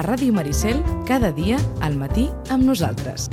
Ràdio Maricel, cada dia al matí amb nosaltres.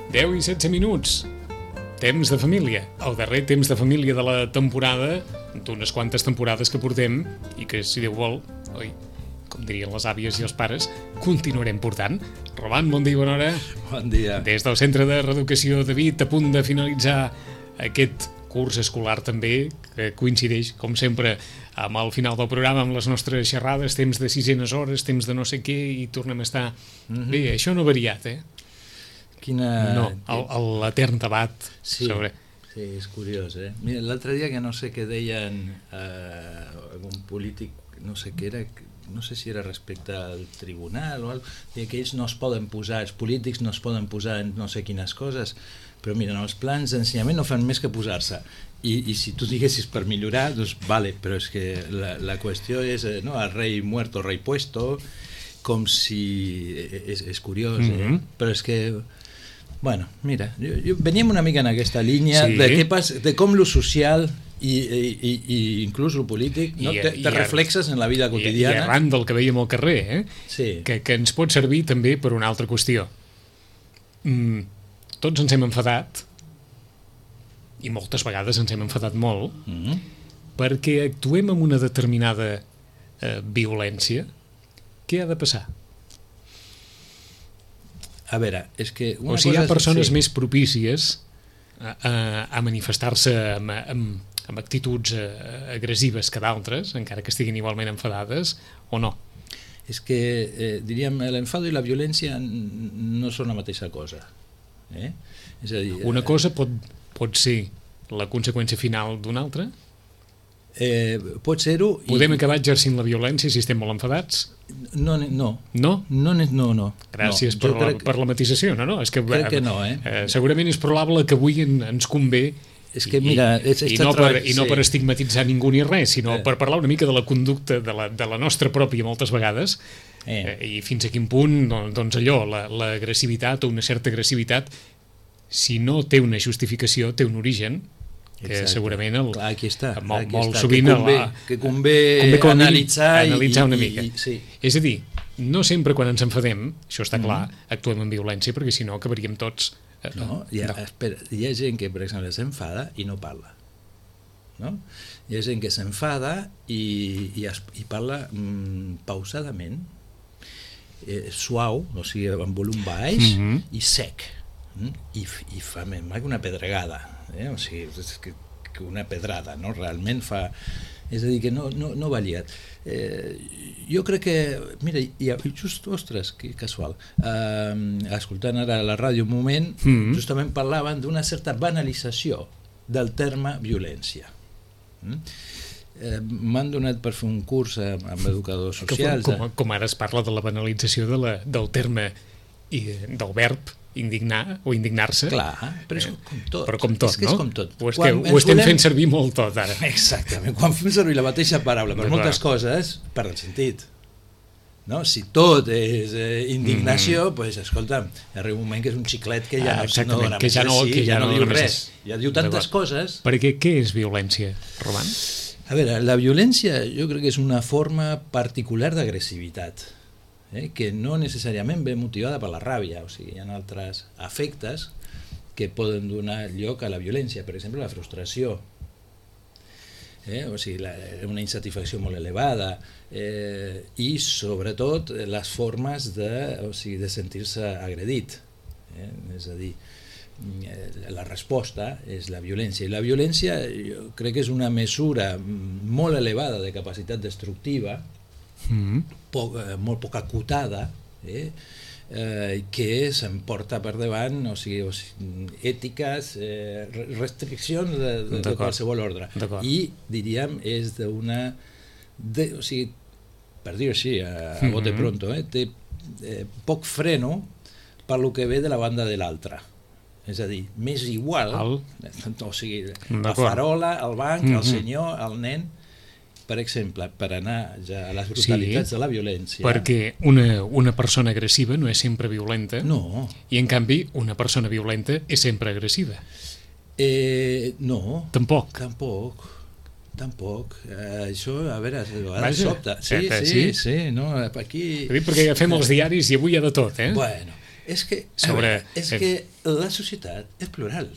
Deu i 16 minuts. Temps de família. El darrer temps de família de la temporada, d'unes quantes temporades que portem, i que, si Déu vol, oi, com dirien les àvies i els pares, continuarem portant. Roman, bon dia i bona hora. Bon dia. Des del Centre de Reeducació David, a punt de finalitzar aquest curs escolar també, que coincideix, com sempre, amb el final del programa, amb les nostres xerrades, temps de sisenes hores, temps de no sé què, i tornem a estar... Bé, això no ha variat, No, l'etern debat sobre... Sí, és curiós, Mira, l'altre dia que no sé què deien algun polític, no sé què era, no sé si era respecte al tribunal o alguna cosa, que ells no es poden posar, els polítics no es poden posar en no sé quines coses, però mira, els plans d'ensenyament no fan més que posar-se. I si tu diguessis per millorar, doncs vale, però és que la qüestió és, no, el rei muerto, rei puesto, com si... És curiós, però és que... Bueno, mira, veníem una mica en aquesta línia de com lo social i inclús lo polític te reflexes en la vida quotidiana. I arran del que veiem al carrer, que ens pot servir també per una altra qüestió. Tots ens hem enfadat, i moltes vegades ens hem enfadat molt, perquè actuem amb una determinada violència. Què ha de passar? A veure, és que... O sigui, hi ha persones més propícies a manifestar-se amb actituds agressives que d'altres, encara que estiguin igualment enfadades, o no? És que, diríem, l'enfado i la violència no són la mateixa cosa. És a dir... Una cosa pot ser la conseqüència final d'una altra? Pot ser-ho... Podem acabar exercint la violència si estem molt enfadats? No. Gràcies per la matisació. És que, crec que no, segurament és probable que avui ens convé, és que, mira, i no per estigmatitzar ningú ni res, sinó per parlar una mica de la conducta de la nostra pròpia moltes vegades, i fins a quin punt doncs allò, l'agressivitat o una certa agressivitat, si no té una justificació, té un origen, que segurament aquí està, molt sovint que convé analitzar una mica. És a dir, no sempre quan ens enfadem, això està clar, actuem amb violència, perquè si no acabaríem tots... Espera, hi ha gent que, per exemple, s'enfada i no parla. Hi ha gent que s'enfada i parla pausadament, suau, o sigui, amb volum baix i sec, i fa més que una pedregada, o sigui, és que una pedrada, no? Realment fa... És a dir, que no va liat. Jo crec que... Mira, just, ostres, que casual, escoltant ara la ràdio un moment, justament parlaven d'una certa banalització del terme violència. M'han donat per fer un curs amb educadors socials. Com ara es parla de la banalització del terme i del verb indignar o indignar-se. Clar, però és com tot. Però com tot, és que és com tot. Ho estem fent servir molt tot ara. Exactament, quan fem servir la mateixa paraula per moltes coses, perd el sentit. Si tot és indignació, doncs, escolta, arriba un moment que és un xiclet que ja no dona més de sí, ja no diu res. Ja diu tantes coses. Perquè què és violència, Roman? A veure, la violència jo crec que és una forma particular d'agressivitat, que no necessàriament ve motivada per la ràbia, o sigui, hi ha altres afectes que poden donar lloc a la violència, per exemple, la frustració, o sigui, una insatisfacció molt elevada, i sobretot les formes de sentir-se agredit, és a dir, la resposta és la violència, i la violència jo crec que és una mesura molt elevada de capacitat destructiva, molt poc acotada, que s'emporta per davant, o sigui, ètiques, restriccions de qualsevol ordre, i diríem és d'una, o sigui, per dir-ho així a bote pronto, té poc freno per lo que ve de la banda de l'altra. És a dir, m'és igual, o sigui, la farola, el banc, el senyor, el nen, per exemple, per anar ja a les brutalitats de la violència. Perquè una persona agressiva no és sempre violenta, no. I en canvi una persona violenta és sempre agressiva. No. Tampoc. Això, a veure, a vegades sobta. Sí, no, aquí... Perquè agafem els diaris i avui hi ha de tot, Bueno, és que la societat és plural,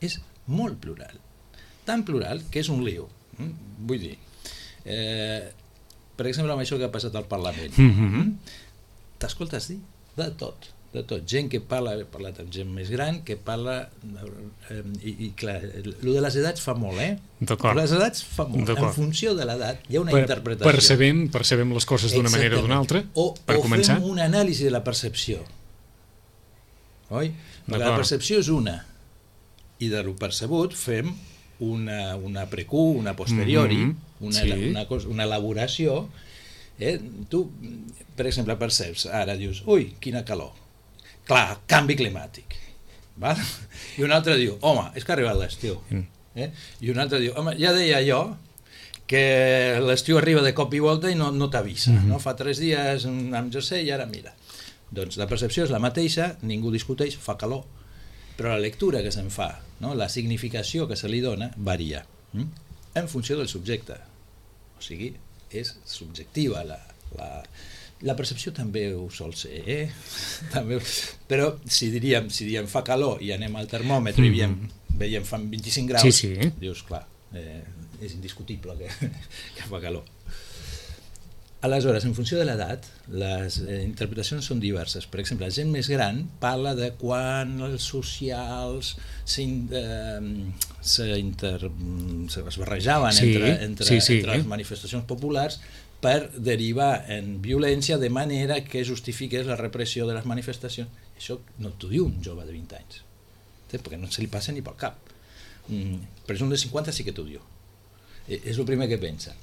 és molt plural, tan plural que és un lío. Vull dir, per exemple, amb això que ha passat al Parlament, t'escoltes dir de tot, gent que parla, he parlat amb gent més gran, que parla, i clar, el de les edats fa molt, les edats fa molt, en funció de l'edat hi ha una interpretació. Percebem les coses d'una manera o d'una altra, per començar. O fem una anàlisi de la percepció, oi? La percepció és una, i de lo percebut fem una precu, una posteriori, una elaboració. Tu, per exemple, perceps, ara dius, ui, quina calor. Clar, canvi climàtic. I un altre diu, home, és que ha arribat l'estiu. I un altre diu, home, ja deia jo que l'estiu arriba de cop i volta i no t'avisa. Fa 3 dies amb José i ara mira. Doncs la percepció és la mateixa, ningú discuteix, fa calor, però la lectura que se'n fa, la significació que se li dona, varia en funció del subjecte. O sigui, és subjectiva la percepció, també ho sol ser, però si diríem fa calor i anem al termòmetre i veiem fa 25 graus, dius, clar, és indiscutible que fa calor. Aleshores, en funció de l'edat, les interpretacions són diverses. Per exemple, la gent més gran parla de quan els socials es barrejaven entre les manifestacions populars per derivar en violència de manera que justifiqués la repressió de les manifestacions. Això no t'ho diu un jove de 20 anys, perquè no se li passa ni pel cap. Però és un de 50 sí que t'ho diu. És el primer que pensa.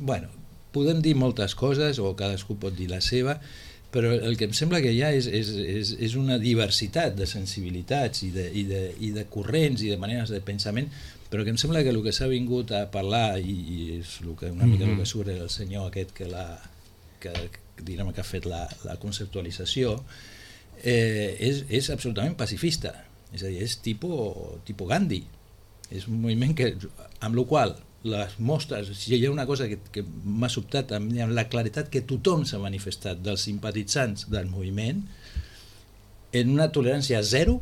Bueno, podem dir moltes coses, o cadascú pot dir la seva, però el que em sembla que hi ha és una diversitat de sensibilitats i de corrents i de maneres de pensament, però que em sembla que el que s'ha vingut a parlar, i és una mica el que surt el senyor aquest que ha fet la conceptualització, és absolutament pacifista, és a dir, és tipus Gandhi, és un moviment amb el qual les mostres, si hi ha una cosa que m'ha sobtat amb la claretat que tothom s'ha manifestat dels simpatitzants del moviment en una tolerància zero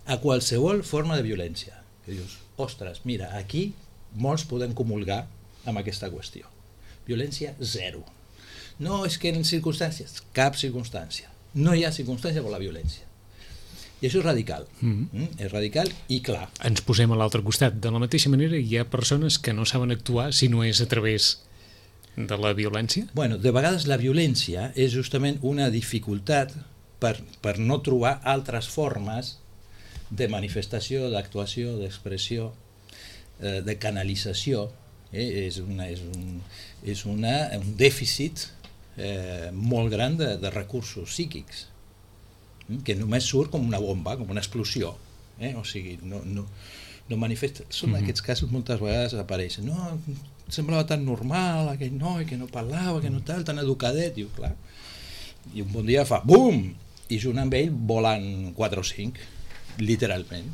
a qualsevol forma de violència, que dius, ostres, mira, aquí molts podem comulgar amb aquesta qüestió, violència zero, no és que en circumstàncies, cap circumstància, no hi ha circumstància per la violència. I això és radical, és radical i clar. Ens posem a l'altre costat. De la mateixa manera, hi ha persones que no saben actuar si no és a través de la violència? Bueno, de vegades la violència és justament una dificultat per no trobar altres formes de manifestació, d'actuació, d'expressió, de canalització. És un dèficit molt gran de recursos psíquics, que només surt com una bomba, com una explosió, o sigui, no manifesta. Són aquests casos moltes vegades apareixen, no, semblava tan normal aquell noi que no parlava, que no tal, tan educadet, diu, clar, i un bon dia fa bum, i junt amb ell volen 4 o 5, literalment.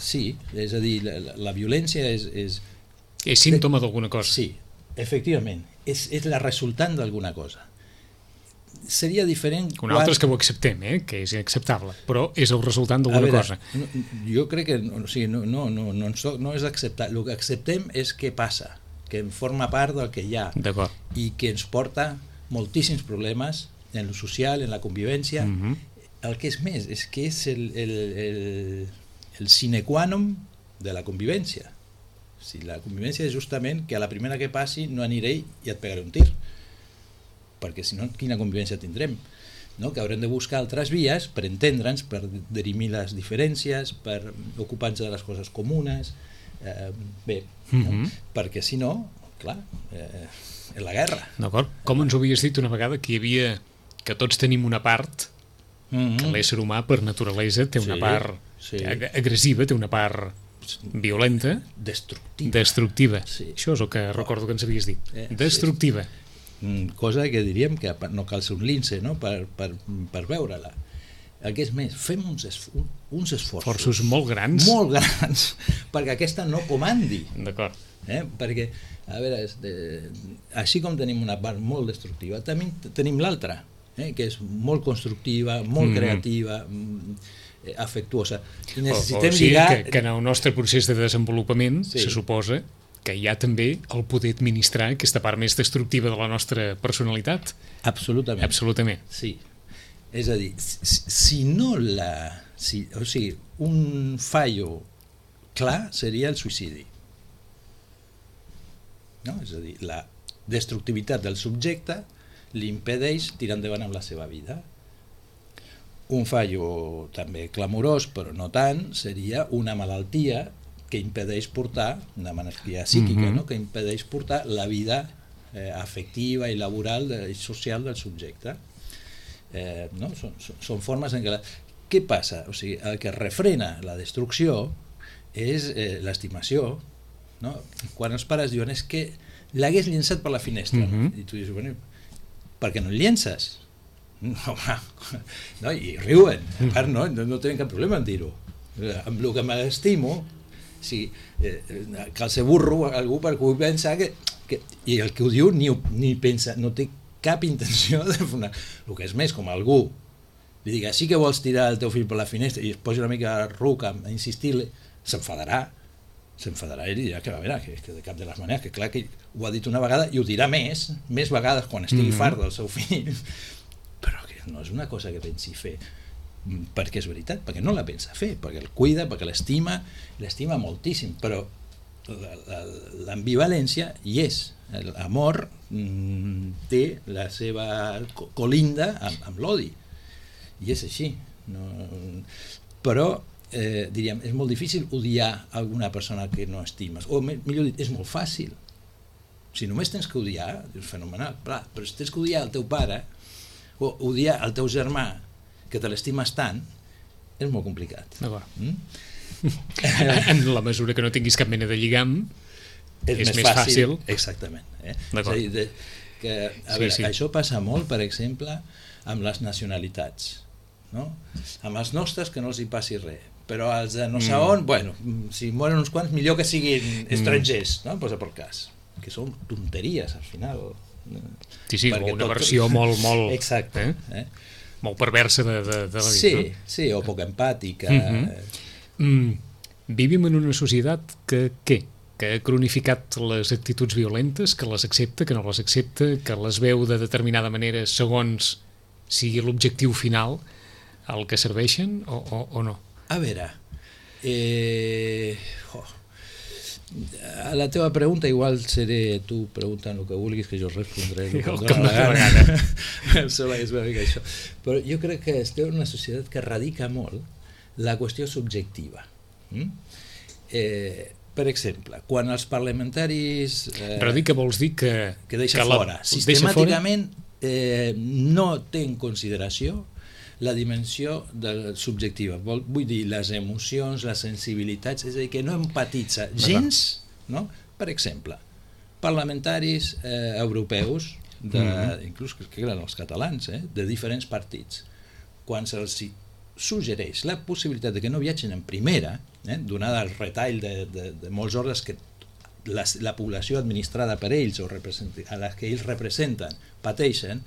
Sí, és a dir, la violència és símptoma d'alguna cosa. Sí, efectivament, és la resultant d'alguna cosa. seria diferent... Un altre és que ho acceptem, que és inacceptable, però és el resultant d'alguna cosa. Jo crec que no és acceptar. El que acceptem és què passa, que forma part del que hi ha i que ens porta moltíssims problemes en lo social, en la convivència. El que és més, és que és el sine qua non de la convivència. Si la convivència és justament que a la primera que passi no aniré i et pegaré un tir, perquè si no, quina convivència tindrem? No? Que haurem de buscar altres vies per entendre'ns, per dirimir les diferències, per ocupar-nos de les coses comunes, no? Perquè si no, clar, és la guerra. D'acord. Com ens ho havies dit una vegada, que tots tenim una part, que l'ésser humà per naturalesa té una part agressiva, té una part violenta, destructiva. Això és el que recordo que ens havies dit. Destructiva. Cosa que diríem que no cal ser un lince, no? per veure-la. El que és més, fem uns esforços molt grans perquè aquesta no comandi. D'acord. Perquè, a veure, així com tenim una part molt destructiva, també tenim l'altra, que és molt constructiva, molt creativa, afectuosa. I necessitem lligar... Que en el nostre procés de desenvolupament se suposa que hi ha també el poder administrar aquesta part més destructiva de la nostra personalitat. Absolutament. Sí. És a dir, si no o sigui, un fallo clar seria el suïcidi. No? És a dir, la destructivitat del subjecte li impedeix tirar endavant amb la seva vida. Un fallo també clamorós, però no tant, seria una malaltia que impedeix portar, una malaltia psíquica, no? Que impedeix portar la vida afectiva i laboral i social del subjecte. No? Són formes en què... Què passa? O sigui, el que refrena la destrucció és l'estimació. No? Quan els pares diuen és que l'hagués llençat per la finestra, i tu dius, bueno, per què no el llences? No, i riuen, a part no tenen cap problema en dir-ho. Amb el que m'estimo, cal ser burro algú per que pensa que i el que ho diu ni pensa, no té cap intenció de fer el que és més, com algú li diga, sí que vols tirar el teu fill per la finestra i es posi una mica ruc a insistir-li, s'enfadarà i dirà que, a veure, que de cap de les maneres, que clar que ho ha dit una vegada i ho dirà més vegades quan estigui fart del seu fill, però que no és una cosa que pensi fer perquè és veritat, perquè no la pensa fer, perquè el cuida, perquè l'estima moltíssim, però l'ambivalència hi és, l'amor té la seva colinda amb l'odi i és així, però diríem, és molt difícil odiar alguna persona que no estimes, o millor dit, és molt fàcil. Si només tens que odiar, és fenomenal, però si tens que odiar el teu pare o odiar el teu germà que te l'estimes tant, és molt complicat. En la mesura que no tinguis cap mena de lligam, és més fàcil. Exactament. És a dir, això passa molt, per exemple, amb les nacionalitats. Amb els nostres que no els hi passi res, però els de no sé on, bueno, si moren uns quants, millor que siguin estrangers, no? Posa per cas, que són tonteries al final. Sí, una versió molt... Exacte. Molt perversa de la vida. Sí, o poc empàtica. Vivim en una societat que ha cronificat les actituds violentes, que les accepta, que no les accepta, que les veu de determinada manera segons sigui l'objectiu final al que serveixen o no? A veure, a la teva pregunta igual seré tu preguntant el que vulguis que jo respondré el que em dóna la gana. És una mica això. Però jo crec que estem en una societat que radica molt la qüestió subjectiva. Per exemple, quan els parlamentaris... Radica vols dir que deixa fora. Sistemàticament no té en consideració la dimensió subjectiva, vull dir, les emocions, les sensibilitats, és a dir, que no empatitza gens, no? Per exemple, parlamentaris europeus, inclús que eren els catalans, de diferents partits, quan se'ls suggereix la possibilitat de que no viatgin en primera, donada el retall de molts ordres que la població administrada per ells o a les que ells representen pateixen,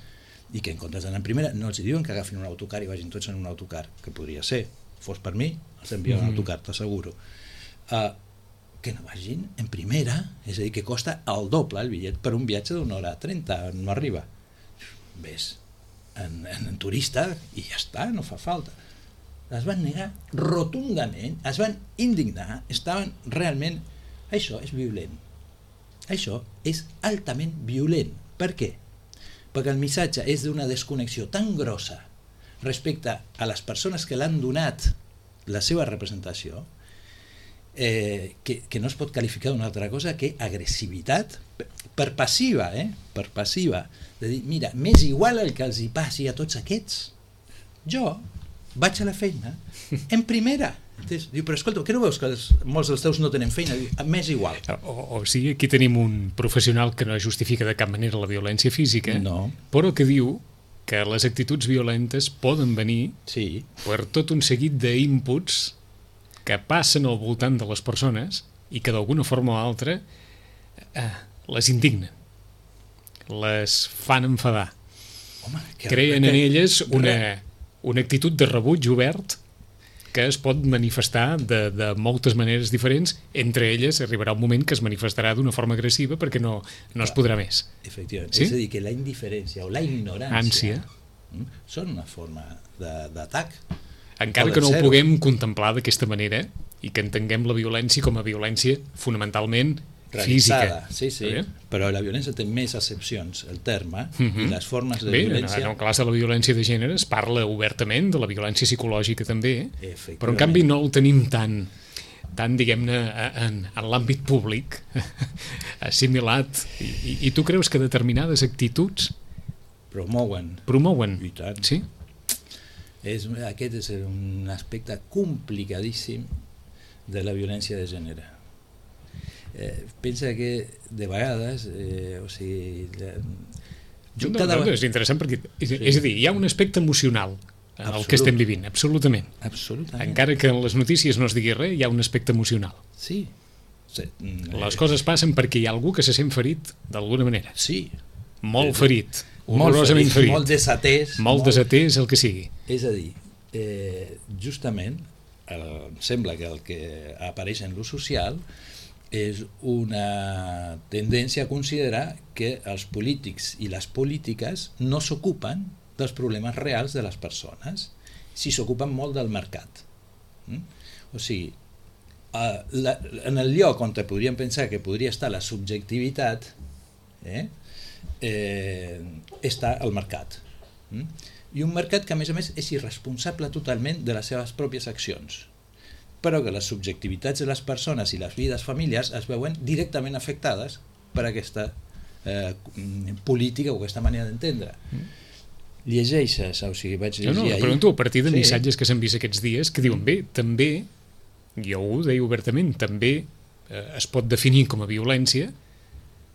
i que en comptes d'anar en primera no els diuen que agafin un autocar i vagin tots en un autocar, que podria ser, fos per mi els envien en autocar, t'asseguro, que no vagin en primera, és a dir, que costa el doble el bitllet per un viatge d'una hora 30, no arriba, ves en turista i ja està, no fa falta. Es van negar rotundament, es van indignar, estaven realment... Això és violent. Això és altament violent. Per què? Perquè el missatge és d'una desconnexió tan grossa respecte a les persones que l'han donat la seva representació que no es pot qualificar d'una altra cosa que agressivitat per passiva, per passiva. De dir, mira, m'és igual el que els hi passi a tots aquests. Jo vaig a la feina en primera. Diu, però escolta, què no veus que molts dels teus no tenen feina? Diu, m'és igual. O sigui, aquí tenim un professional que no justifica de cap manera la violència física, no, però que diu que les actituds violentes poden venir per tot un seguit d'inputs que passen al voltant de les persones i que d'alguna forma o altra les indignen, les fan enfadar. Home, creen en elles una actitud de rebuig obert que es pot manifestar de moltes maneres diferents. Entre elles arribarà un moment que es manifestarà d'una forma agressiva perquè no es podrà més. Efectivament, sí? És a dir, que la indiferència o la ignorància són una forma d'atac. Encara que no ho puguem contemplar d'aquesta manera i que entenguem la violència com a violència fonamentalment física. Sí, però la violència té més accepcions, el terme, i les formes de violència... En el cas de la violència de gènere es parla obertament de la violència psicològica també, però en canvi no el tenim tan diguem-ne, en l'àmbit públic assimilat. I tu creus que determinades actituds promouen? I tant. Sí? Aquest és un aspecte complicadíssim de la violència de gènere. Pensa que de vegades és interessant perquè és a dir, hi ha un aspecte emocional en el que estem vivint, absolutament. Encara que en les notícies no es digui res, hi ha un aspecte emocional. Les coses passen perquè hi ha algú que se sent ferit d'alguna manera. Molt ferit, horrorosament ferit, molt desatès, el que sigui. És a dir, justament em sembla que el que apareix en l'ús social és una tendència a considerar que els polítics i les polítiques no s'ocupen dels problemes reals de les persones, si s'ocupen molt del mercat. O sigui, en el lloc on podríem pensar que podria estar la subjectivitat està el mercat. I un mercat que a més és irresponsable totalment de les seves pròpies accions, però que les subjectivitats de les persones i les vides familiars es veuen directament afectades per aquesta política o aquesta manera d'entendre. Llegeixes, o sigui, vaig llegir ahir... Pregunto a partir de missatges que s'han vist aquests dies que diuen, bé, també, jo ho deia obertament, també es pot definir com a violència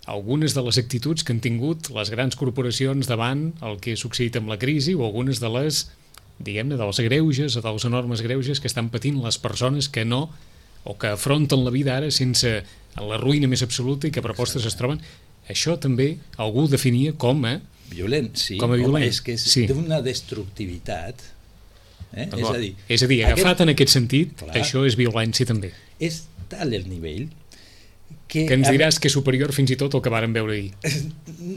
algunes de les actituds que han tingut les grans corporacions davant el que ha succeït amb la crisi o algunes de les, diguem-ne, dels greuges o dels enormes greuges que estan patint les persones que no, o que afronten la vida ara sense la ruïna més absoluta i que propostes es troben. Això també algú ho definia com a violent, sí. Com a violent. És que és d'una destructivitat. És a dir, agafat en aquest sentit, això és violència també. És tal el nivell que ens diràs que és superior fins i tot al que vàrem veure ahir.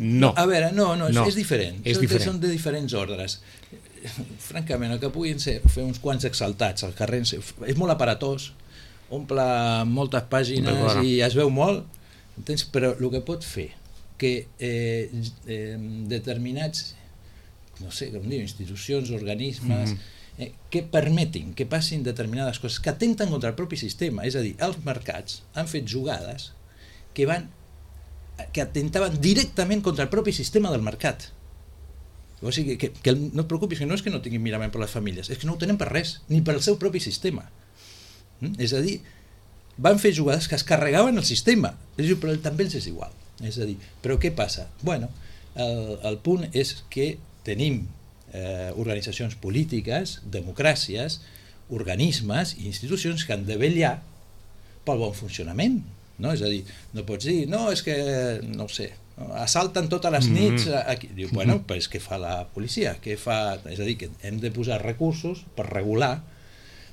No. A veure, no, és diferent. Són de diferents ordres. Francament, el que puguin fer uns quants exaltats al carrer és molt aparatós, omple moltes pàgines i es veu molt, entens? Però el que pot fer que determinats, no sé com dir, institucions, organismes, que permetin que passin determinades coses que atenten contra el propi sistema, és a dir, els mercats han fet jugades que atentaven directament contra el propi sistema del mercat. O sigui, que no et preocupis, que no és que no tinguin mirament per les famílies, és que no ho tenen per res, ni per el seu propi sistema. És a dir, van fer jugades que es carregaven el sistema, però també els és igual. És a dir, però què passa? Bueno, el punt és que tenim organitzacions polítiques, democràcies, organismes i institucions que han de vetllar pel bon funcionament. No? És a dir, no pots dir, no, és que, no ho sé, assalten totes les nits aquí. Diu, bueno, pues què fa la policia? Què fa? És a dir, que hem de posar recursos per regular,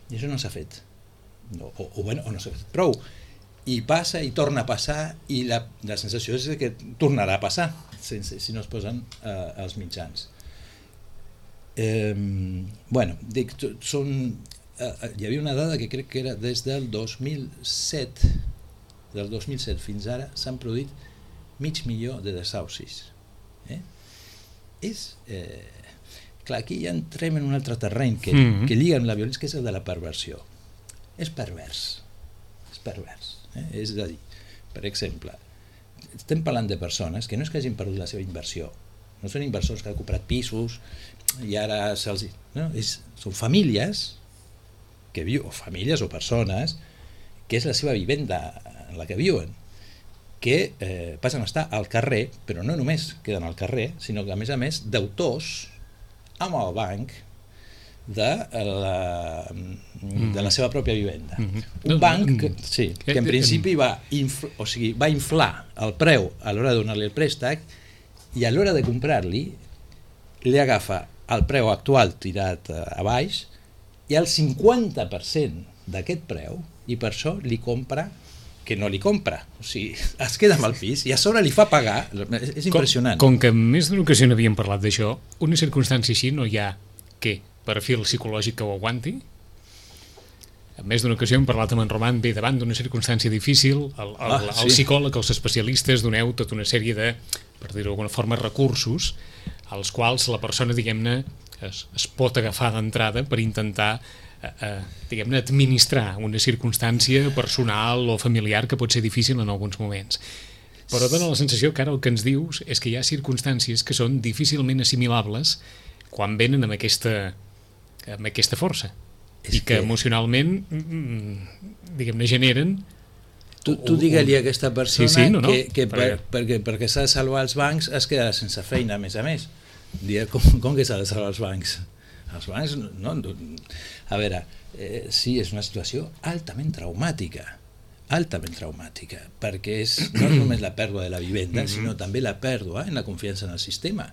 i això no s'ha fet. O no s'ha fet prou. I passa i torna a passar, i la sensació és que tornarà a passar si no es posen els mitjans. Dic, hi havia una dada que crec que era des del 2007 fins ara s'han produït 500.000 de desaucis. Clar, aquí ja entrem en un altre terreny que lliga amb la violència, que és el de la perversió. És pervers. És a dir, per exemple, estem parlant de persones que no és que hagin perdut la seva inversió, no són inversors que han comprat pisos i ara se'ls... No, són famílies que viuen, o famílies o persones que és la seva vivenda en la que viuen, que passen a estar al carrer, però no només queden al carrer, sinó que a més deutors amb el banc de la seva pròpia vivenda. Un banc que en principi va inflar el preu a l'hora de donar-li el préstec, i a l'hora de comprar-li li agafa el preu actual tirat a baix i el 50% d'aquest preu, i per això li compra que no li compra, o sigui, es queda amb el pis i a sobre li fa pagar. És impressionant. Com que en més d'una ocasió n'havíem parlat d'això, una circumstància així no hi ha perfil psicològic que ho aguanti? En més d'una ocasió hem parlat amb en Roman, bé, davant d'una circumstància difícil, el psicòleg, els especialistes, doneu tota una sèrie de, per dir-ho d'alguna forma, recursos als quals la persona, diguem-ne, es pot agafar d'entrada per intentar diguem-ne, administrar una circumstància personal o familiar que pot ser difícil en alguns moments. Però dona la sensació que ara el que ens dius és que hi ha circumstàncies que són difícilment assimilables quan venen amb aquesta força i que emocionalment diguem-ne generen... Tu digue-li a aquesta persona que perquè s'ha de salvar els bancs es quedarà sense feina, a més. Com que s'ha de salvar els bancs? Els bancs, no... A veure, sí, és una situació altament traumàtica, perquè és no només la pèrdua de la vivenda, sinó també la pèrdua en la confiança en el sistema.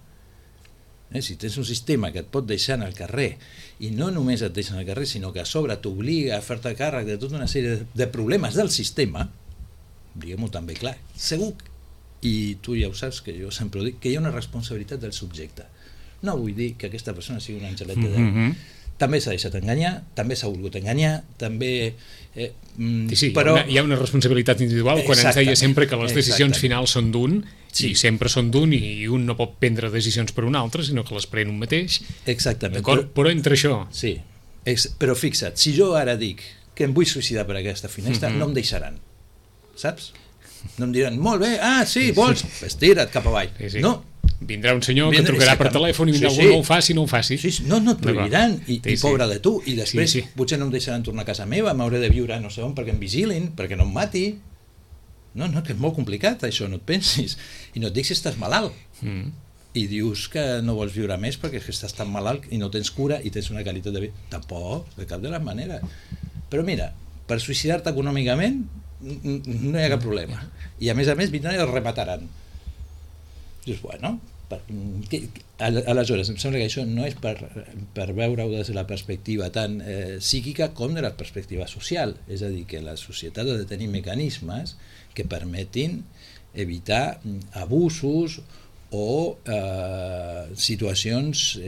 Si tens un sistema que et pot deixar en el carrer, i no només et deixa en el carrer, sinó que a sobre t'obliga a fer-te càrrec de tota una sèrie de problemes del sistema, diguem-ho també clar, segur, i tu ja ho saps, que jo sempre ho dic, que hi ha una responsabilitat del subjecte. No vull dir que aquesta persona sigui un angelet de Déu. També s'ha deixat enganyar, també s'ha volgut enganyar, també... però hi ha una responsabilitat individual quan ens deia sempre que les decisions finals són d'un, i sempre són d'un, i un no pot prendre decisions per un altre, sinó que les pren un mateix. Exactament. Però entre això... Sí, però fixa't, si jo ara dic que em vull suïcidar per aquesta finestra, no em deixaran, saps? No em diran, molt bé, vols? Estira't cap avall. No. Vindrà un senyor que trucarà per telèfon i vindrà algú, no ho faci. No et prohibiran, i pobre de tu, i després potser no em deixaran tornar a casa meva, m'hauré de viure no sé on perquè em vigilin, perquè no em mati. No, que és molt complicat això, no et pensis. I no et dic si estàs malalt. I dius que no vols viure més perquè estàs tan malalt i no tens cura i tens una qualitat de vida. Tampoc, de cap de les maneres. Però mira, per suïcidar-te econòmicament no hi ha cap problema. I a més vindran i el remataran. Dius, bueno, aleshores em sembla que això no és per veure-ho des de la perspectiva tan psíquica com de la perspectiva social, és a dir, que la societat ha de tenir mecanismes que permetin evitar abusos o situacions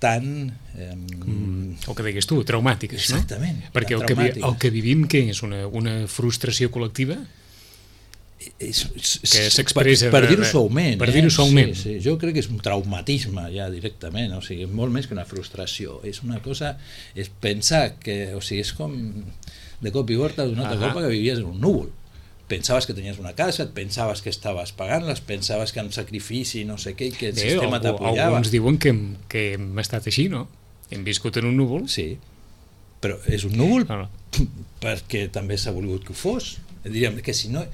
tan... el que digues tu, traumàtiques, no? Exactament. Perquè el que vivim, què és? Una frustració col·lectiva? Que s'expressa per dir-ho suaument, sí. Jo crec que és un traumatisme ja directament, o sigui, molt més que una frustració, és una cosa, és pensar que, o sigui, és com de cop i volta d'una altra copa que vivies en un núvol, pensaves que tenies una casa, et pensaves que estaves pagant-les, pensaves que amb sacrifici no sé què, que el sistema t'apoyava. Alguns diuen que hem estat així, no? Hem viscut en un núvol. Sí, però és un núvol perquè també s'ha volgut que ho fos, diríem que si no...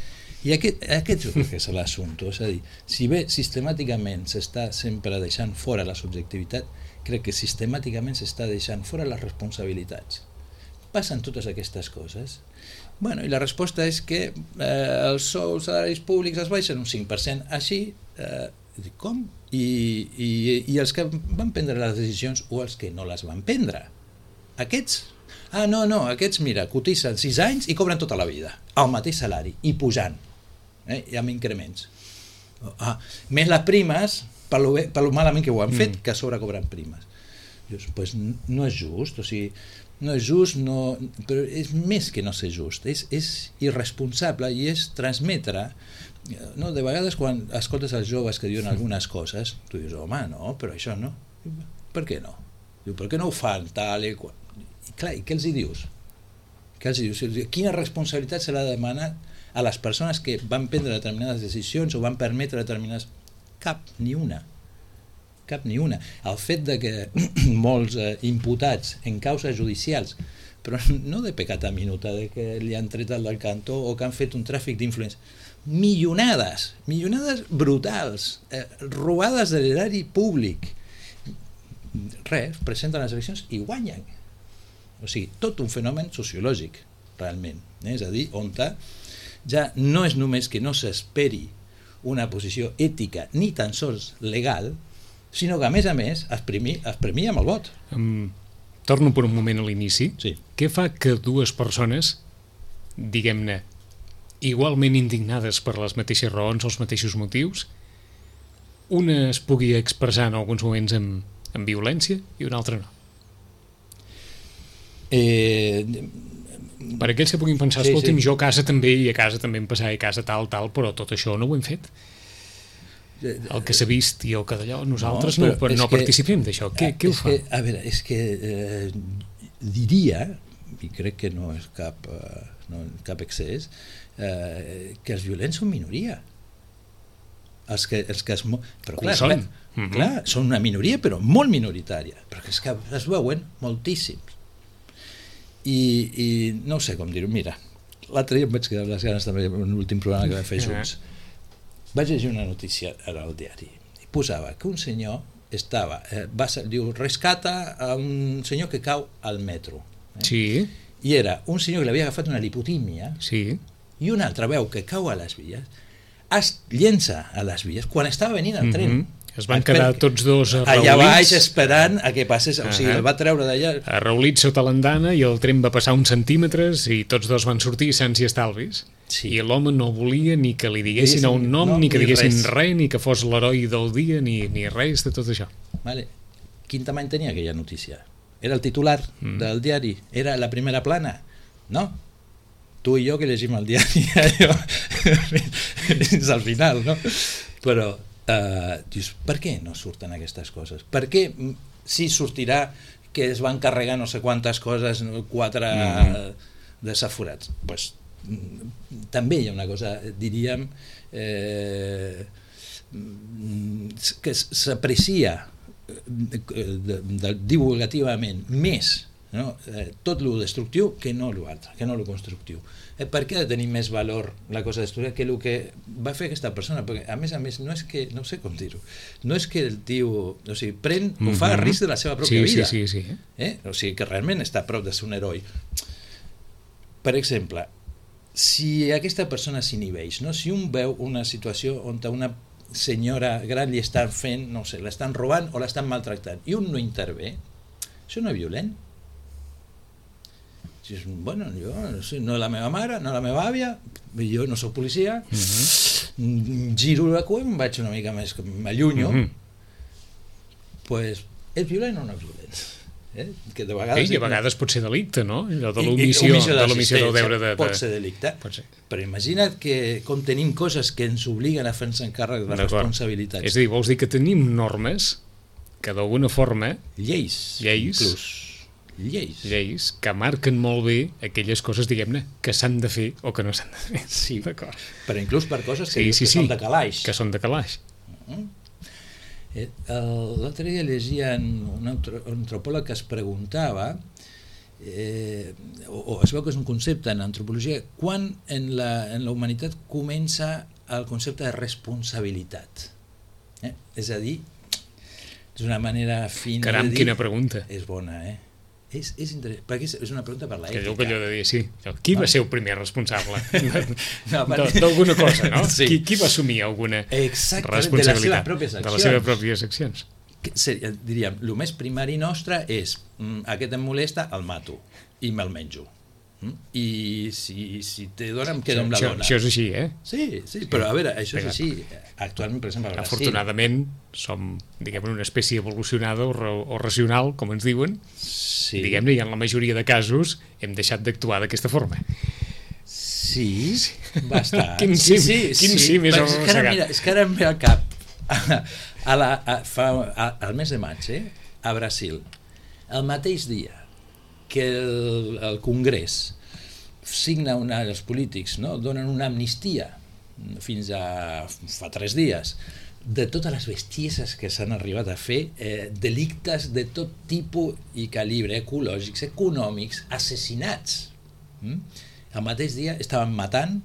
I aquest jo crec que és l'assumpte, és a dir, si bé sistemàticament s'està sempre deixant fora la subjectivitat, crec que sistemàticament s'està deixant fora les responsabilitats. Passen totes aquestes coses Bueno, i la resposta és que els salaris públics es baixen un 5%, així, dic, com? I els que van prendre les decisions o els que no les van prendre? Aquests? No, aquests, mira, cotitzen 6 anys i cobren tota la vida, al mateix salari, i pujant, i amb increments. Més les primes, per lo malament que ho han fet, que a sobre cobren primes. Dius, pues no és just, o sigui, no és just, no, però és més que no ser just, és irresponsable i és transmetre, no? De vegades quan escoltes els joves que diuen algunes coses, tu dius, home, no, però això no. Per què no? Diu, per què no ho fan tal i qual? I clar, i què els hi dius? Quina responsabilitat se l'ha de demanar a les persones que van prendre determinades decisions o van permetre determinades... Cap ni una. El fet de que molts imputats en causes judicials, però no de pecata minuta, de que li han tret el del cantó o que han fet un tràfic d'influència, milionades brutals, robades de l'erari públic, res, presenten les eleccions i guanyen. O sigui, tot un fenomen sociològic, realment. És a dir, on ja no és només que no s'esperi una posició ètica ni tan sols legal, sinó que a més es premia amb el vot. Torno per un moment a l'inici. Sí. Què fa que dues persones, diguem-ne, igualment indignades per les mateixes raons, els mateixos motius, una es pugui expressar en alguns moments amb violència i una altra no? Per aquells que puguin pensar, escolti'm, jo a casa també, i a casa també em passava, i a casa tal, però tot això no ho hem fet. El que s'ha vist i el que d'allò, nosaltres no participem d'això. Què ho fa? A veure, és que diria, i crec que no és cap excés, que els violents són minoria. Però clar, són una minoria, però molt minoritària, però és que es veuen moltíssims. I no sé com dir-ho. Mira, l'altre dia em vaig quedar amb les ganes també en l'últim programa que vam fer junts. Vaig llegir una notícia ara al diari i posava que un senyor rescata a un senyor que cau al metro. Sí. I era un senyor que l'havia agafat una lipotímia, sí, i un altre veu que cau a les vies, es llença a les vies quan estava venint el tren. Es van quedar tots dos arraulits. Allà baix esperant a que passés, o sigui, el va treure d'allà. Arraulits sota l'andana i el tren va passar uns centímetres i tots dos van sortir sants i estalvis. Sí. I l'home no volia ni que li diguessin un nom, ni que diguessin res, ni que fos l'heroi del dia, ni res de tot això. Vale. Quin tamany tenia aquella notícia? Era el titular del diari? Era la primera plana? No. Tu i jo que llegim el diari fins al final, no? Però dius, per què no surten aquestes coses? Per què sí sortirà que es van carregar no sé quantes coses, 4 desaforats? Doncs també hi ha una cosa, diríem, que s'aprecia divulgativament més, no? Tot lo destructiu que no lo altre, que no lo constructiu. Per què ha de tenir més valor la cosa destructiva que el que va fer aquesta persona? Perquè a més no és que, no sé com dir-ho, no és que el tio, o sigui, ho fa a risc de la seva pròpia vida. Sí. O sigui, que realment està a prop de ser un heroi. Per exemple, si aquesta persona s'inhibeix, no? Si un veu una situació on una senyora gran li estan fent, no sé, l'estan robant o l'estan maltractant, i un no intervé, això no és violent? Bueno, jo no la meva mare, no la meva àvia, jo no soc policia, giro la cua i em vaig una mica més, m'allunyo, doncs és violent o no és violent? Que de vegades... I a vegades pot ser delicte, no? Allò de l'omissió del deure de... Pot ser delicte, però imagina't que com tenim coses que ens obliguen a fer-nos encàrrec de les responsabilitats. És a dir, vols dir que tenim normes que d'alguna forma... Lleis que marquen molt bé aquelles coses, diguem-ne, que s'han de fer o que no s'han de fer. Sí, d'acord. Però inclús per coses que són de calaix. Que són de calaix. L'altre dia llegia un antropòleg que es preguntava, o es veu que és un concepte en antropologia, quan en la humanitat comença el concepte de responsabilitat. És a dir, és una manera fina de dir... Caram, quina pregunta. És bona, És interessant, perquè és una pregunta per l'ètica. Que allò de dir, sí, qui va ser el primer responsable No, d'alguna cosa, no? Sí. Qui va assumir alguna de responsabilitat les seves pròpies accions? Diríem, el més primari nostre és aquest em molesta, el mato i me'l menjo. I si te dona em quedo amb la dona. Això és així, Sí, però a veure, això és així. Actualment, per exemple, a Brasil... Afortunadament, som, diguem-ne, una espècie evolucionada o racional, com ens diuen, diguem-ne, i en la majoria de casos hem deixat d'actuar d'aquesta forma. Sí, bastant. Quin cim és arrossegat. Mira, és que ara em ve al cap. Al mes de maig, a Brasil, el mateix dia que el Congrés signa els polítics, no? Donen una amnistia fins a fa 3 dies de totes les bestieses que s'han arribat a fer, delictes de tot tipus i calibre, ecològics, econòmics, assassinats. El mateix dia estaven matant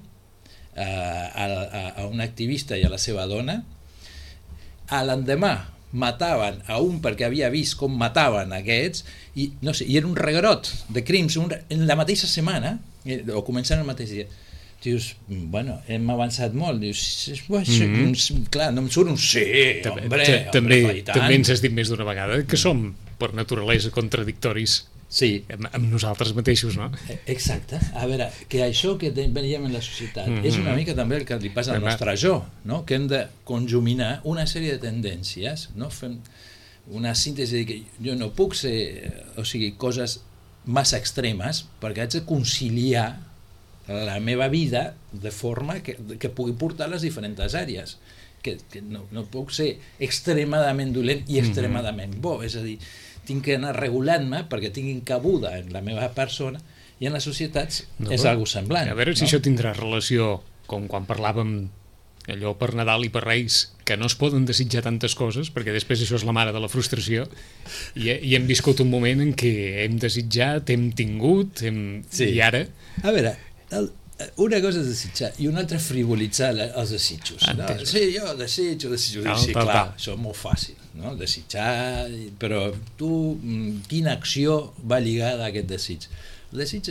a un activista i a la seva dona. A l'endemà mataven a un perquè havia vist com mataven aquests i no sé, i era un reguerot de crims en la mateixa setmana, o començant el mateix dia. Dius, bueno, hem avançat molt. Dius, clar, no em surt un sí, també ens has dit més d'una vegada que som per naturalesa contradictoris amb nosaltres mateixos, no? Exacte. A veure, que això que veiem en la societat és una mica també el que li passa al nostre jo, no? Que hem de conjuminar una sèrie de tendències, no? Fem una síntesi de que jo no puc ser, o sigui, coses massa extremes perquè haig de conciliar la meva vida de forma que pugui portar les diferents àrees, que no puc ser extremadament dolent i extremadament bo, és a dir, tinc que anar regulant-me perquè tinguin cabuda en la meva persona, i en les societats és algo semblant. A veure si això tindrà relació com quan parlàvem allò per Nadal i per Reis, que no es poden desitjar tantes coses, perquè després això és la mare de la frustració, i hem viscut un moment en què hem desitjat, hem tingut, i ara... A veure, una cosa és desitjar i una altra frivolitzar els desitjos. No? Sí, jo desitjo. Sí, clar, això és molt fàcil, no? Desitjar, però tu, quina acció va lligada a aquest desig? El desig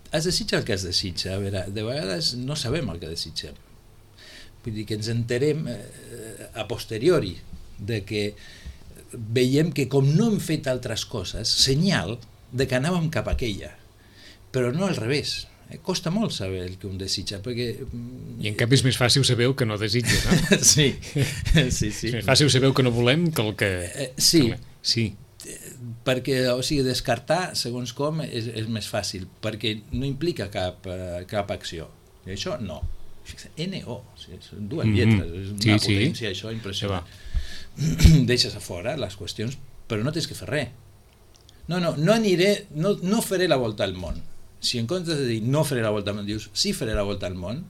es desitja el que es desitja. A veure, de vegades no sabem el que desitgem. Vull dir que ens enterem a posteriori de que veiem que com no hem fet altres coses, senyal de que anàvem cap a aquella. Però no al revés. Costa molt saber el que un desitja, perquè... I en canvi és més fàcil saber el que no desitja, no? Sí. És més fàcil saber el que no volem que el que... Sí. Perquè, o sigui, descartar, segons com, és més fàcil, perquè no implica cap acció. I això, no. NO, són 2 lletres, és una potència, això, impressionant. Deixes a fora les qüestions, però no tens que fer res. No aniré, no faré la volta al món. Si en comptes de dir no faré la volta al món, dius sí faré la volta al món,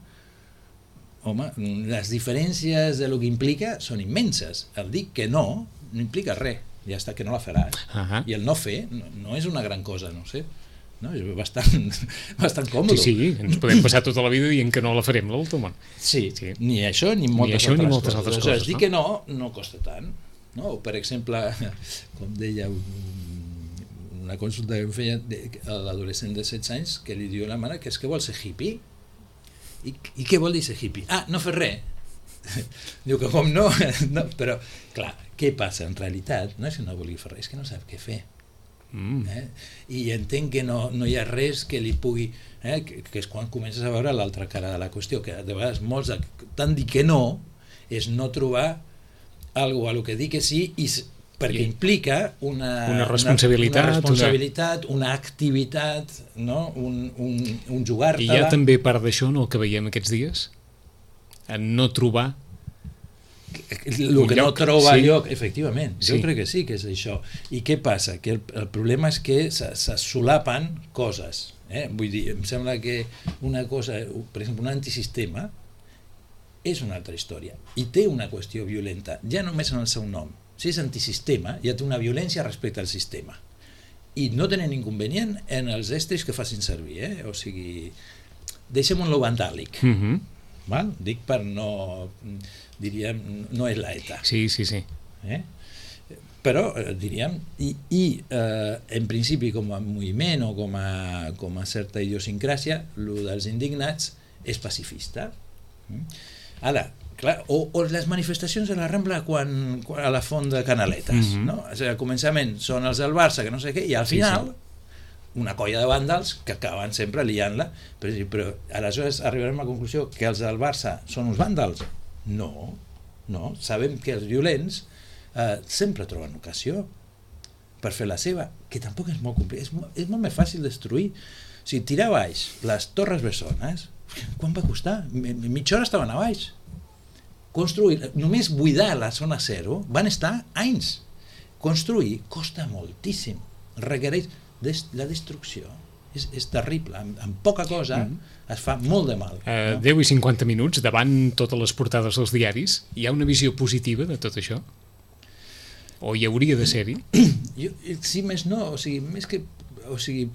home, les diferències de lo que implica són immenses. El dir que no implica res, ja està, que no la faràs. I el no fer no és una gran cosa, no sé. No? És bastant còmode. Sí, ens podem passar tota la vida dient que no la farem, la volta al món. Sí, ni això ni moltes altres coses. Dir que no costa tant. No? Per exemple, com deia una consulta que em feia a l'adolescent de 16 anys, que li diu a la mare que és que vol ser hippie. I què vol dir ser hippie? No fer res. Diu que com no, però clar, què passa? En realitat no és que no vulgui fer res, és que no sap què fer. I entenc que no hi ha res que li pugui, que és quan comences a veure l'altra cara de la qüestió, que de vegades molts tant dir que no és no trobar alguna cosa a lo que dir que sí, perquè implica una responsabilitat, una activitat, no? un jugar-te-la. I hi ha també part d'això, no, el que veiem aquests dies? En no trobar el que no troba lloc, efectivament, jo crec que sí que és això. I què passa? Que el problema és que se solapen coses. Vull dir, em sembla que una cosa, per exemple, un antisistema és una altra història i té una qüestió violenta, ja només en el seu nom. Si és antisistema, ja té una violència respecte al sistema. I no tenen inconvenient en els estris que facin servir, o sigui, deixem-ho vandàlic. Val? Dic per no, diríem, no és la ETA. Sí. però diríem, en principi com a moviment o com a certa idiosincràsia, el dels indignats és pacifista. Ara, clar, o les manifestacions de la Rambla quan a la font de Canaletes, no? O sigui, al començament són els del Barça, que no sé què, i al final una colla de vàndals que acaben sempre liant-la, però aleshores arribarem a la conclusió que els del Barça són uns vàndals? No, sabem que els violents sempre troben ocasió per fer la seva, que tampoc és molt complicat, és molt més fàcil destruir. O sigui, tirar a baix les Torres Bessones, quan va costar? Mitja hora estaven a baix. Construir, només buidar la zona zero van estar anys. Construir costa moltíssim, requereix la destrucció. És terrible, amb poca cosa es fa molt de mal. 10 i 50 minuts, davant totes les portades dels diaris, hi ha una visió positiva de tot això? O hi hauria de ser-hi? Sí, més no,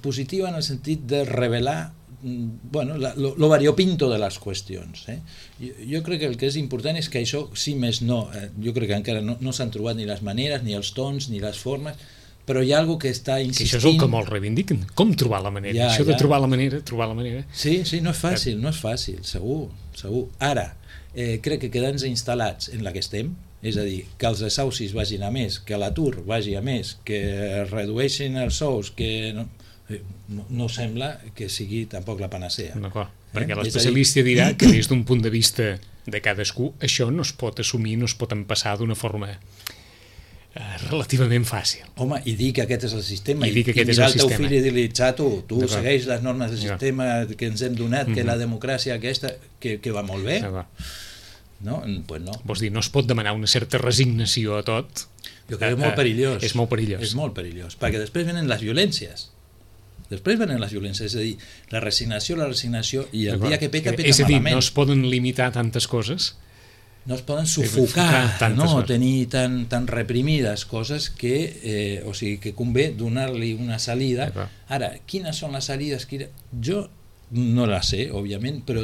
positiva en el sentit de revelar lo variopinto de les qüestions. Jo crec que el que és important és que això, sí més no, jo crec que encara no s'han trobat ni les maneres, ni els tons, ni les formes, però hi ha alguna que està insistint... Que això és el que molt reivindiquen. Com trobar la manera? Això de trobar la manera... Sí, no és fàcil, segur. Ara, crec que quedant-nos instal·lats en la que estem, és a dir, que els desahucis vagin a més, que l'atur vagi a més, que es redueixin els sous, que no sembla que sigui tampoc la panacea. D'acord, perquè l'especialista dirà que des d'un punt de vista de cadascú això no es pot assumir, no es pot empassar d'una forma relativament fàcil. Home, i dir que aquest és el sistema, i mirar el teu fill i dir-li, xato, tu segueix les normes del sistema que ens hem donat, que la democràcia aquesta, que va molt bé. No? Pues no. Vols dir, no es pot demanar una certa resignació a tot. Jo crec que és molt perillós. És molt perillós. És molt perillós, perquè després venen les violències. És a dir, la resignació, i el dia que peta malament. És a dir, no es poden limitar tantes coses, no es poden sufocar, tenir tan reprimides coses que, que convé donar-li una salida. Ara, quines són les salides? Jo no la sé, òbviament, però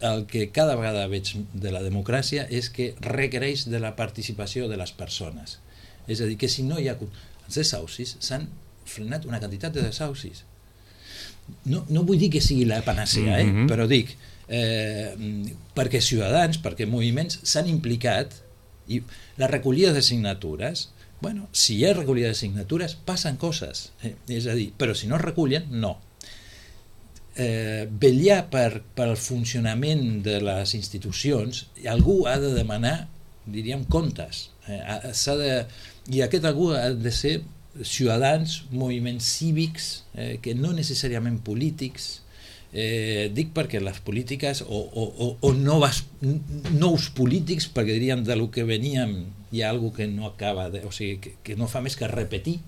el que cada vegada veig de la democràcia és que requereix de la participació de les persones. És a dir, que si no hi ha els desahucis, s'han frenat una quantitat de desahucis. No vull dir que sigui la panacea, però dic, perquè ciutadans, perquè moviments s'han implicat, i la recollida de signatures, si hi ha recollida de signatures passen coses, és a dir, però si no es recullen, no. Vetllar pel funcionament de les institucions, algú ha de demanar, diríem, comptes, i aquest algú ha de ser ciutadans, moviments cívics, que no necessàriament polítics. Dic perquè les polítiques o nous polítics, perquè diríem de lo que veníem hi ha alguna que no acaba que no fa més que repetir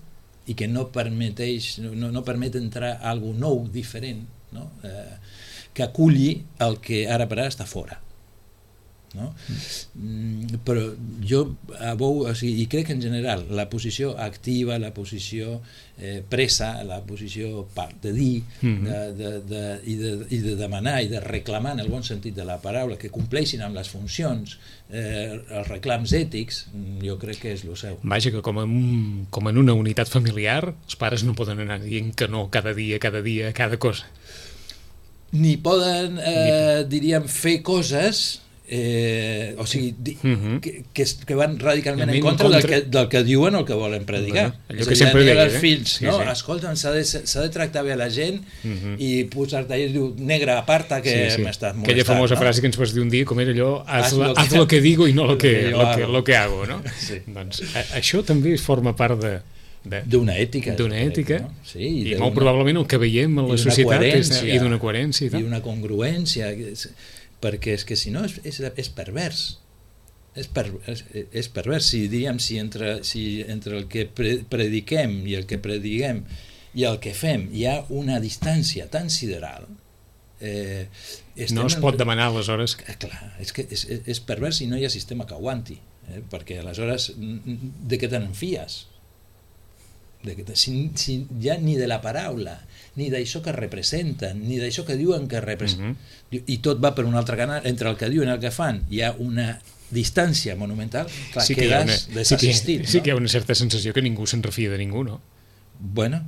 i que no permet entrar alguna nou, diferent, que aculli el que ara per ara està fora. Però jo i crec que en general la posició activa, la posició presa, la posició de dir i de demanar i de reclamar en el bon sentit de la paraula, que compleixin amb les funcions, els reclams ètics, jo crec que és el seu. Vaja, que com en una unitat familiar els pares no poden anar dient que no cada dia, cada cosa. Ni poden, diríem, fer coses que van radicalment en contra del que diuen o el que volen predicar. Allò que sempre deia, els fills, escolta'm, s'ha de tractar bé a la gent i posar-te allà i diu, negre, aparta que m'estàs molestant. Aquella famosa frase que ens vas dir un dia, com era allò, haz lo que digo i no lo que hago, no? Doncs això també forma part d'una ètica, i molt probablement el que veiem a la societat i d'una coherència i una congruència, perquè és que si no és pervers. És pervers, si entre el que prediquem i el que prediguem i el que fem hi ha una distància tan sideral, no es pot demanar aleshores. Clar, és pervers i no hi ha sistema que aguanti, perquè aleshores de què te n'enfies? ja ni de la paraula, ni d'això que representen, ni d'això que diuen que representen. I tot va per un altre canal, entre el que diuen i el que fan hi ha una distància monumental, clar, sí que quedes desassistit. Sí que hi ha una certa sensació que ningú se'n refia de ningú, no? Bueno,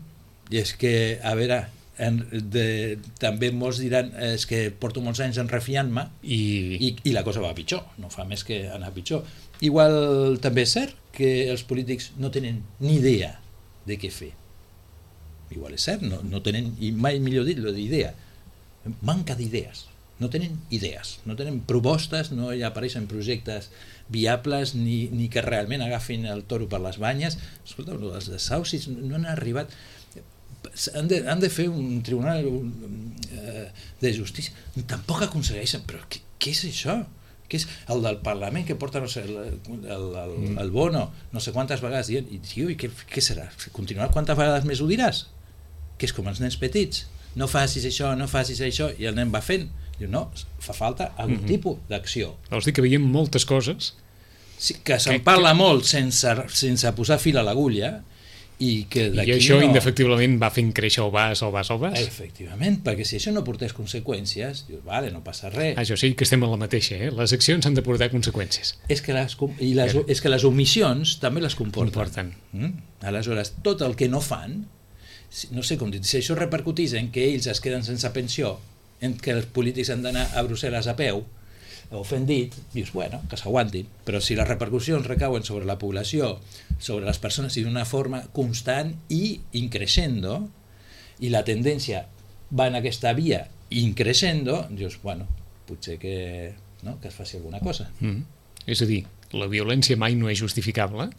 i és que, a veure, també molts diran és que porto molts anys refiant-me i la cosa va pitjor, no fa més que anar pitjor. Igual també és cert que els polítics no tenen ni idea de què fer. Igual és cert, no tenen, i mai millor dit, l'idea. Manca d'idees. No tenen idees, no tenen propostes, no hi apareixen projectes viables ni que realment agafin el toro per les banyes. Escolta, els desahucis no han arribat. Han de fer un tribunal de justícia. Tampoc aconsegueixen, però què és això? Què és el del Parlament que porta, no sé, el Bono no sé quantes vegades dient, i què serà? Continuar quantes vegades més ho diràs? Que és com els nens petits, no facis això, no facis això, i el nen va fent. Diu, no, fa falta algun tipus d'acció. Vols dir que veiem moltes coses? Sí, que se'n parla molt sense posar fil a l'agulla, i això indefectiblement va fent créixer el vas. Efectivament, perquè si això no portés conseqüències, dius, vale, no passa res. Això sí que estem a la mateixa, les accions han de portar conseqüències. És que les omissions també les comporten. Aleshores, tot el que no fan, no sé com dir, si això repercutís en que ells es queden sense pensió, en què els polítics han d'anar a Brussel·les a peu, o fent dit, dius, bueno, que s'aguantin, però si les repercussions recauen sobre la població, sobre les persones, i d'una forma constant i increixendo, i la tendència va en aquesta via increixendo, dius, bueno, potser que es faci alguna cosa. És a dir, la violència mai no és justificable,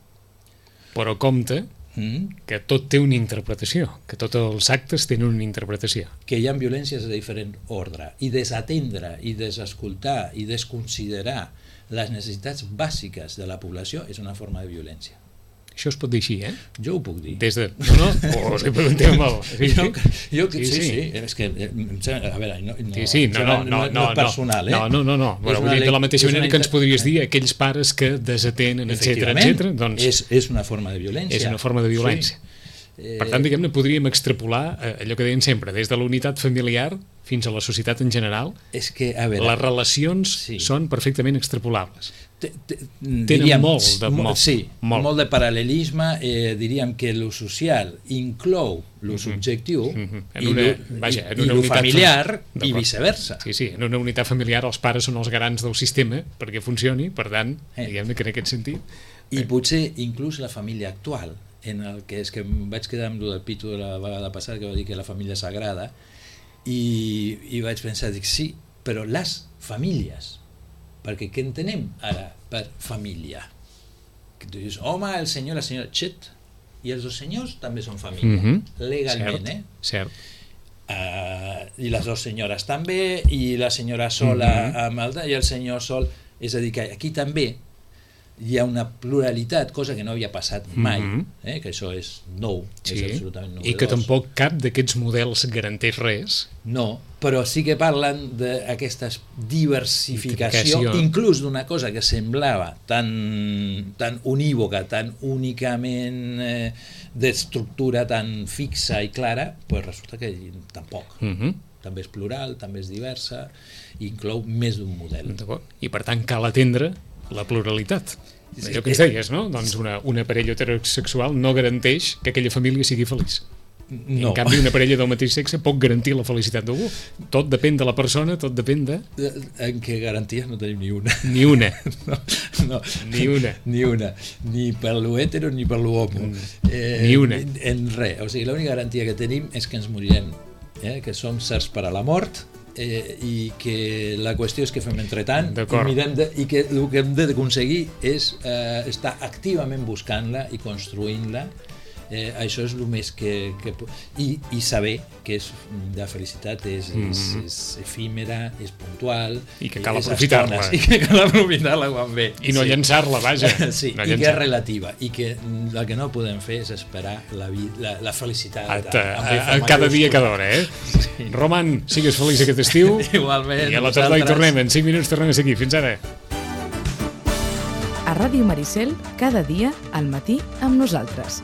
però compte que tot té una interpretació, que tots els actes tenen una interpretació. Que hi ha violències de diferent ordre, i desatendre, i desescoltar, i desconsiderar les necessitats bàsiques de la població és una forma de violència. Això es pot dir així, Jo ho puc dir. Des de... No? O si preguntem molt. Sí, és que, a veure, no és personal, No. Vull dir, de la mateixa manera que ens podries dir aquells pares que desatenen, etc. Doncs és una forma de violència. És una forma de violència. Per tant, diguem-ne, podríem extrapolar allò que deien sempre, des de la unitat familiar fins a la societat en general. És que, a veure, les relacions són perfectament extrapolables. Tenen molt de paral·lelisme. Diríem que lo social inclou lo subjectiu i lo familiar i viceversa. Sí, en una unitat familiar els pares són els garants del sistema perquè funcioni, per tant, diguem-ne que en aquest sentit... I potser inclús la família actual, en el que és que em vaig quedar amb el Pitu de la vegada passada, que va dir que la família sagrada, i vaig pensar, dic, sí, però les famílies, perquè què entenem ara per família? Que tu dius, home, el senyor, la senyora, xet, i els dos senyors també són família, legalment, Cert. I les dues senyores també, i la senyora sola i el senyor sol, és a dir, que aquí també hi ha una pluralitat, cosa que no havia passat mai, que això és nou, és absolutament novedós. I que tampoc cap d'aquests models garanteix res. No, però sí que parlen d'aquesta diversificació, inclús d'una cosa que semblava tan unívoca, tan únicament d'estructura tan fixa i clara, doncs resulta que tampoc. També és plural, també és diversa, i inclou més d'un model. I per tant cal atendre la pluralitat. Allò que ens deies, no? Doncs una parella heterosexual no garanteix que aquella família sigui feliç. En canvi, una parella del mateix sexe pot garantir la felicitat d'algú. Tot depèn de la persona, tot depèn de... En què garanties no tenim ni una. Ni una. Ni una. Ni per lo hetero ni per lo homo. Ni una. En res. O sigui, l'única garantia que tenim és que ens morirem, que som certs per a la mort, i que la qüestió és que fem entretant i que el que hem d'aconseguir és estar activament buscant-la i construint-la. Això és el més que i saber que la felicitat és efímera, és puntual i que cal aprofitar-la quan ve i no llançar-la, vaja, i que és relativa, i que el que no podem fer és esperar la felicitat cada dia, cada hora. Roman, sigues feliç aquest estiu. Igualment. I a la tarda hi tornem, en 5 minuts tornem a ser aquí. Fins ara. A Ràdio Maricel, cada dia al matí amb nosaltres.